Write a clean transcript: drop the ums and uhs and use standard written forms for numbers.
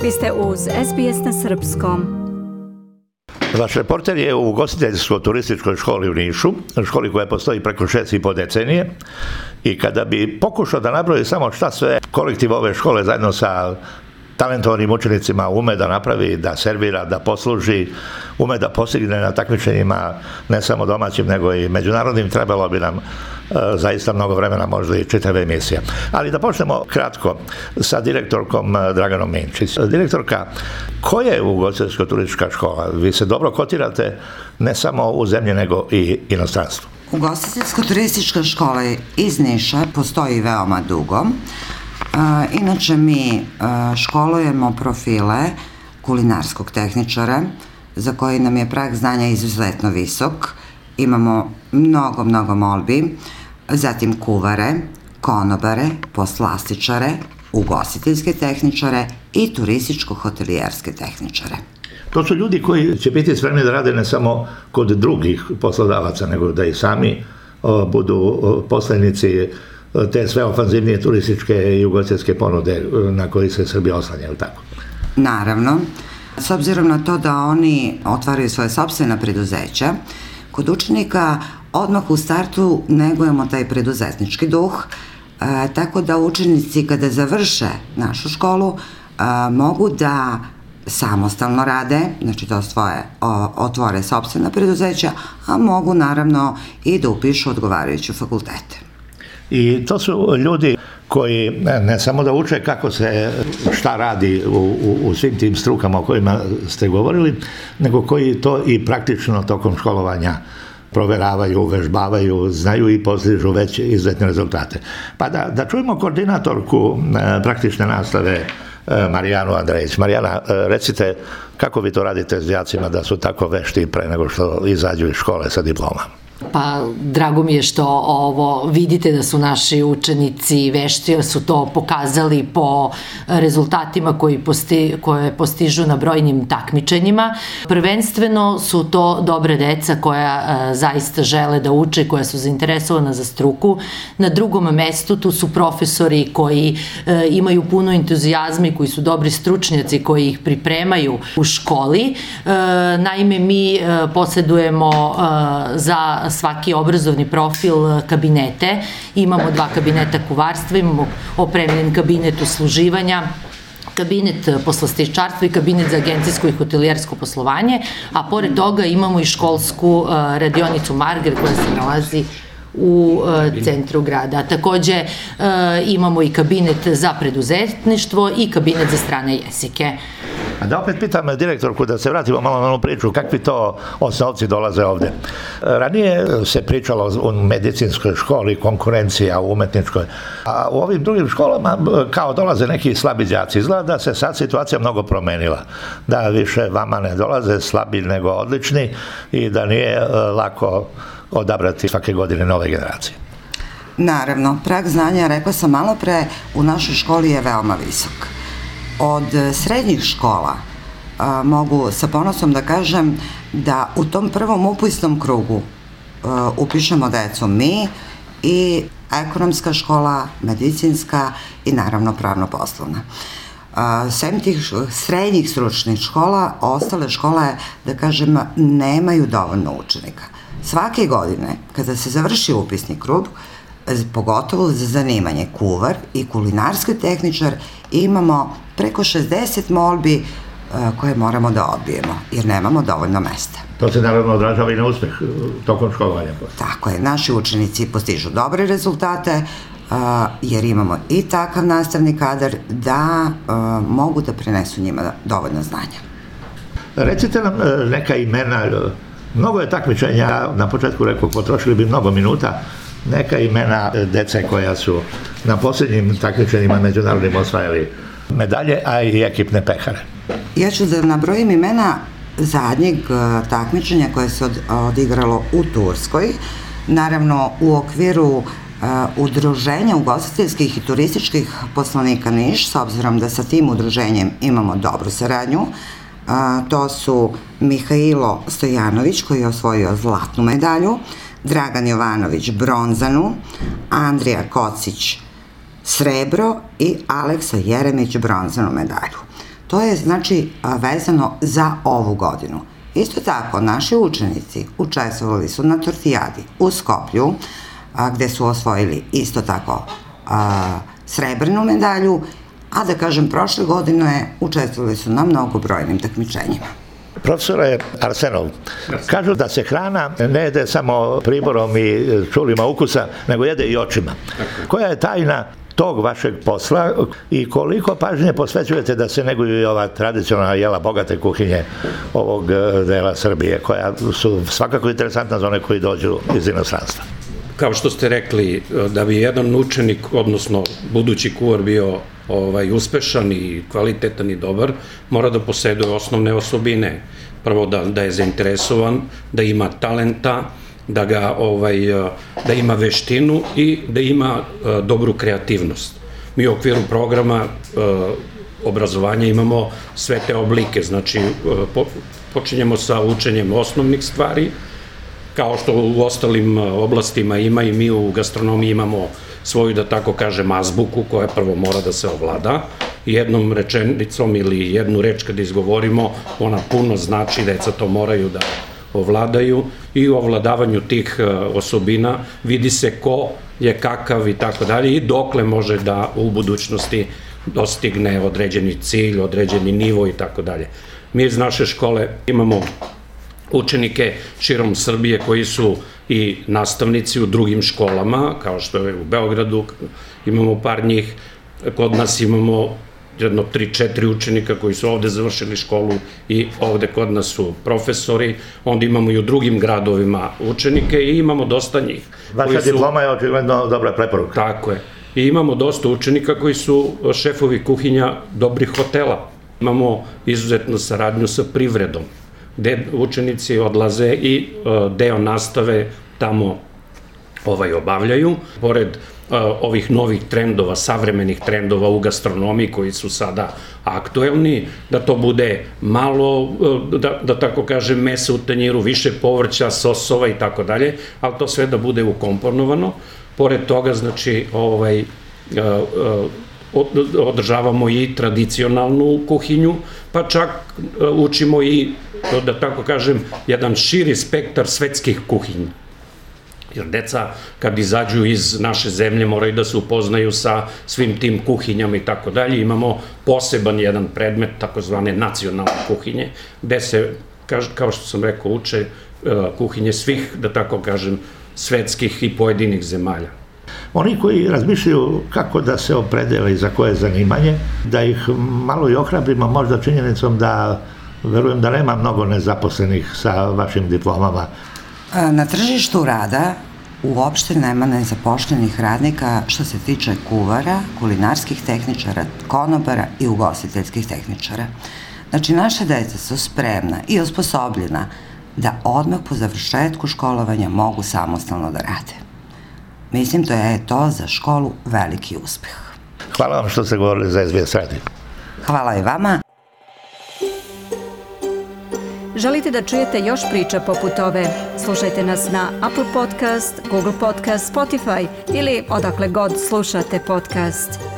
Vi ste uz SBS na srpskom. Vaš reporter je u ugostiteljsko-turističkoj školi u Nišu, školi koja postoji preko 6,5 decenije, i kada bi pokušao da nabroji samo šta sve kolektiv ove škole zajedno sa talentovanim učenicima ume da napravi, da servira, da posluži, ume da postigne na takmičenjima ne samo domaćim nego i međunarodnim, trebalo bi nam zaista mnogo vremena, možda i čitava emisija. Ali da počnemo kratko sa direktorkom Draganom Minčić. Direktorka, koja je ugostiteljsko-turistička škola? Vi se dobro kotirate ne samo u zemlji nego i inostranstvu. Ugostiteljsko-turistička škola iz Niša postoji veoma dugo. Inače mi školujemo profile kulinarskog tehničara za koji nam je prag znanja izuzetno visok. Imamo mnogo molbi, zatim kuvare, konobare, poslastičare, ugostiteljske tehničare i turističko-hotelijerske tehničare. To su ljudi koji će biti spremni da rade ne samo kod drugih poslodavaca, nego da i sami budu poslenici te sve ofanzivnije turističke i ugostiteljske ponude na koji se Srbija oslanja, ili tako? Naravno, s obzirom na to da oni otvaraju svoje sopstvena preduzeća, kod učenika odmah u startu negujemo taj preduzetnički duh, tako da učenici kada završe našu školu mogu da samostalno rade, znači to otvore sopstvena preduzeća, a mogu naravno i da upišu odgovarajuće fakultete. I to su ljudi koji ne samo da uče kako se šta radi u svim tim strukama o kojima ste govorili, nego koji to i praktično tokom školovanja proveravaju, uvežbavaju, znaju i postižu već izuzetne rezultate. Pa da čujemo koordinatorku praktične nastave Marijanu Andrejić. Marijana, recite kako vi to radite s đacima da su tako vešti pre nego što izađu iz škole sa diplomama? Pa, drago mi je što vidite da su naši učenici vešti, jer su to pokazali po rezultatima koje postižu na brojnim takmičenjima. Prvenstveno su to dobre deca koja zaista žele da uče, koja su zainteresovana za struku. Na drugom mestu tu su profesori koji imaju puno entuzijazma i koji su dobri stručnjaci koji ih pripremaju u školi. Naime, mi posjedujemo za svaki obrazovni profil kabinete. Imamo 2 kabineta kuvarstva, imamo opremljen kabinet usluživanja, kabinet poslastičarstva i kabinet za agencijsko i hotelijersko poslovanje, a pored toga imamo i školsku radionicu Marger koja se nalazi u centru grada. Takođe imamo i kabinet za preduzetništvo i kabinet za strane jezike. A da opet pitam direktorku, da se vratimo malo na onu priču, kakvi to osnovci dolaze ovde. Ranije se pričalo o medicinskoj školi, konkurencija u umetničkoj, a u ovim drugim školama kao dolaze neki slabi đaci. Izgleda da se sad situacija mnogo promenila, da više vama ne dolaze slabi nego odlični i da nije lako odabrati svake godine nove generacije. Naravno, prag znanja, rekla sam malo pre, u našoj školi je veoma visok. Od srednjih škola mogu sa ponosom da kažem da u tom prvom upisnom krugu upišemo decu mi i ekonomska škola, medicinska i naravno pravno-poslovna. Sem tih srednjih stručnih škola, ostale škole, da kažem, nemaju dovoljno učenika. Svake godine, kada se završi upisni krug, pogotovo za zanimanje kuvar i kulinarski tehničar, imamo preko 60 molbi koje moramo da odbijemo, jer nemamo dovoljno mesta. To se naravno odražava i na uspeh tokom školovanja. Tako je, naši učenici postižu dobre rezultate, jer imamo i takav nastavni kadar da mogu da prenesu njima dovoljno znanja. Recite nam neka imena, mnogo je takmičenja, na početku rekao, potrošili bi mnogo minuta, neka imena dece koja su na posljednjim takmičenjima međunarodnim osvajali medalje, a i ekipne pehare. Ja ću da nabrojim imena zadnjeg takmičenja koje se odigralo u Turskoj, naravno u okviru udruženja ugostiteljskih i turističkih poslanika Niš, s obzirom da sa tim udruženjem imamo dobru saradnju. To su Mihailo Stojanović, koji je osvojio zlatnu medalju, Dragan Jovanović bronzanu, Andrija Kocić srebro i Aleksa Jeremić bronzanu medalju. to je znači vezano za ovu godinu. Isto tako, naši učenici učestvovali su na Tortijadi u Skoplju, gde su osvojili isto tako srebrnu medalju, a da kažem, prošle godine učestvovali su na mnogobrojnim takmičenjima. Profesore Arsenov, kažu da se hrana ne jede samo priborom i čulima ukusa, nego jede i očima. Koja je tajna tog vašeg posla i koliko pažnje posvećujete da se neguju i ova tradicionalna jela bogate kuhinje ovog dela Srbije, koja su svakako interesantna za one koji dođu iz inostranstva? Kao što ste rekli, da bi jedan učenik, odnosno budući kuvar bio uspešan i kvalitetan i dobar, mora da poseduje osnovne osobine. Prvo da je zainteresovan, da ima talenta, da ima veštinu i da ima dobru kreativnost. Mi u okviru programa obrazovanja imamo sve te oblike, znači počinjemo sa učenjem osnovnih stvari, kao što u ostalim oblastima ima i mi u gastronomiji imamo svoju, da tako kažem, azbuku koja prvo mora da se ovlada. Jednom rečenicom ili jednu reč kada izgovorimo, ona puno znači, deca to moraju da ovladaju i u ovladavanju tih osobina vidi se ko je kakav i tako dalje i dokle može da u budućnosti dostigne određeni cilj, određeni nivo i tako dalje. Mi iz naše škole imamo učenike širom Srbije koji su i nastavnici u drugim školama, kao što je u Beogradu, imamo par njih, kod nas imamo jedno 3-4 učenika koji su ovde završili školu i ovde kod nas su profesori, onda imamo i u drugim gradovima učenike i imamo dosta njih. Vaša diploma je očigledno dobra preporuka. Tako je. I imamo dosta učenika koji su šefovi kuhinja dobrih hotela. Imamo izuzetnu saradnju sa privredom, gde učenici odlaze i deo nastave tamo obavljaju. Pored ovih novih trendova, savremenih trendova u gastronomiji koji su sada aktuelni, da to bude malo, da tako kažem, mesa u tanjiru, više povrća, sosova i tako dalje, ali to sve da bude ukomponovano. Pored toga, znači, održavamo i tradicionalnu kuhinju, pa čak učimo i, da tako kažem, jedan širi spektar svetskih kuhinja. Jer deca kad izađu iz naše zemlje moraju da se upoznaju sa svim tim kuhinjama i tako dalje. Imamo poseban jedan predmet, takozvane nacionalne kuhinje, gde se, kao što sam rekao, uče kuhinje svih, da tako kažem, svetskih i pojedinih zemalja. Oni koji razmišljaju kako da se opredele i za koje zanimanje, da ih malo i ohrabrimo možda činjenicom da verujem da nema mnogo nezaposlenih sa vašim diplomama. Na tržištu rada uopšte nema nezapošljenih radnika što se tiče kuvara, kulinarskih tehničara, konobara i ugostiteljskih tehničara. Znači, naše deca su spremna i osposobljena da odmah po završetku školovanja mogu samostalno da rade. Mislim da je to za školu veliki uspeh. Hvala vam što ste govorili za SBS radio. Hvala i vama. Želite da čujete još priča poput ove? Slušajte nas na Apple Podcast, Google Podcast, Spotify ili odakle god slušate podcast.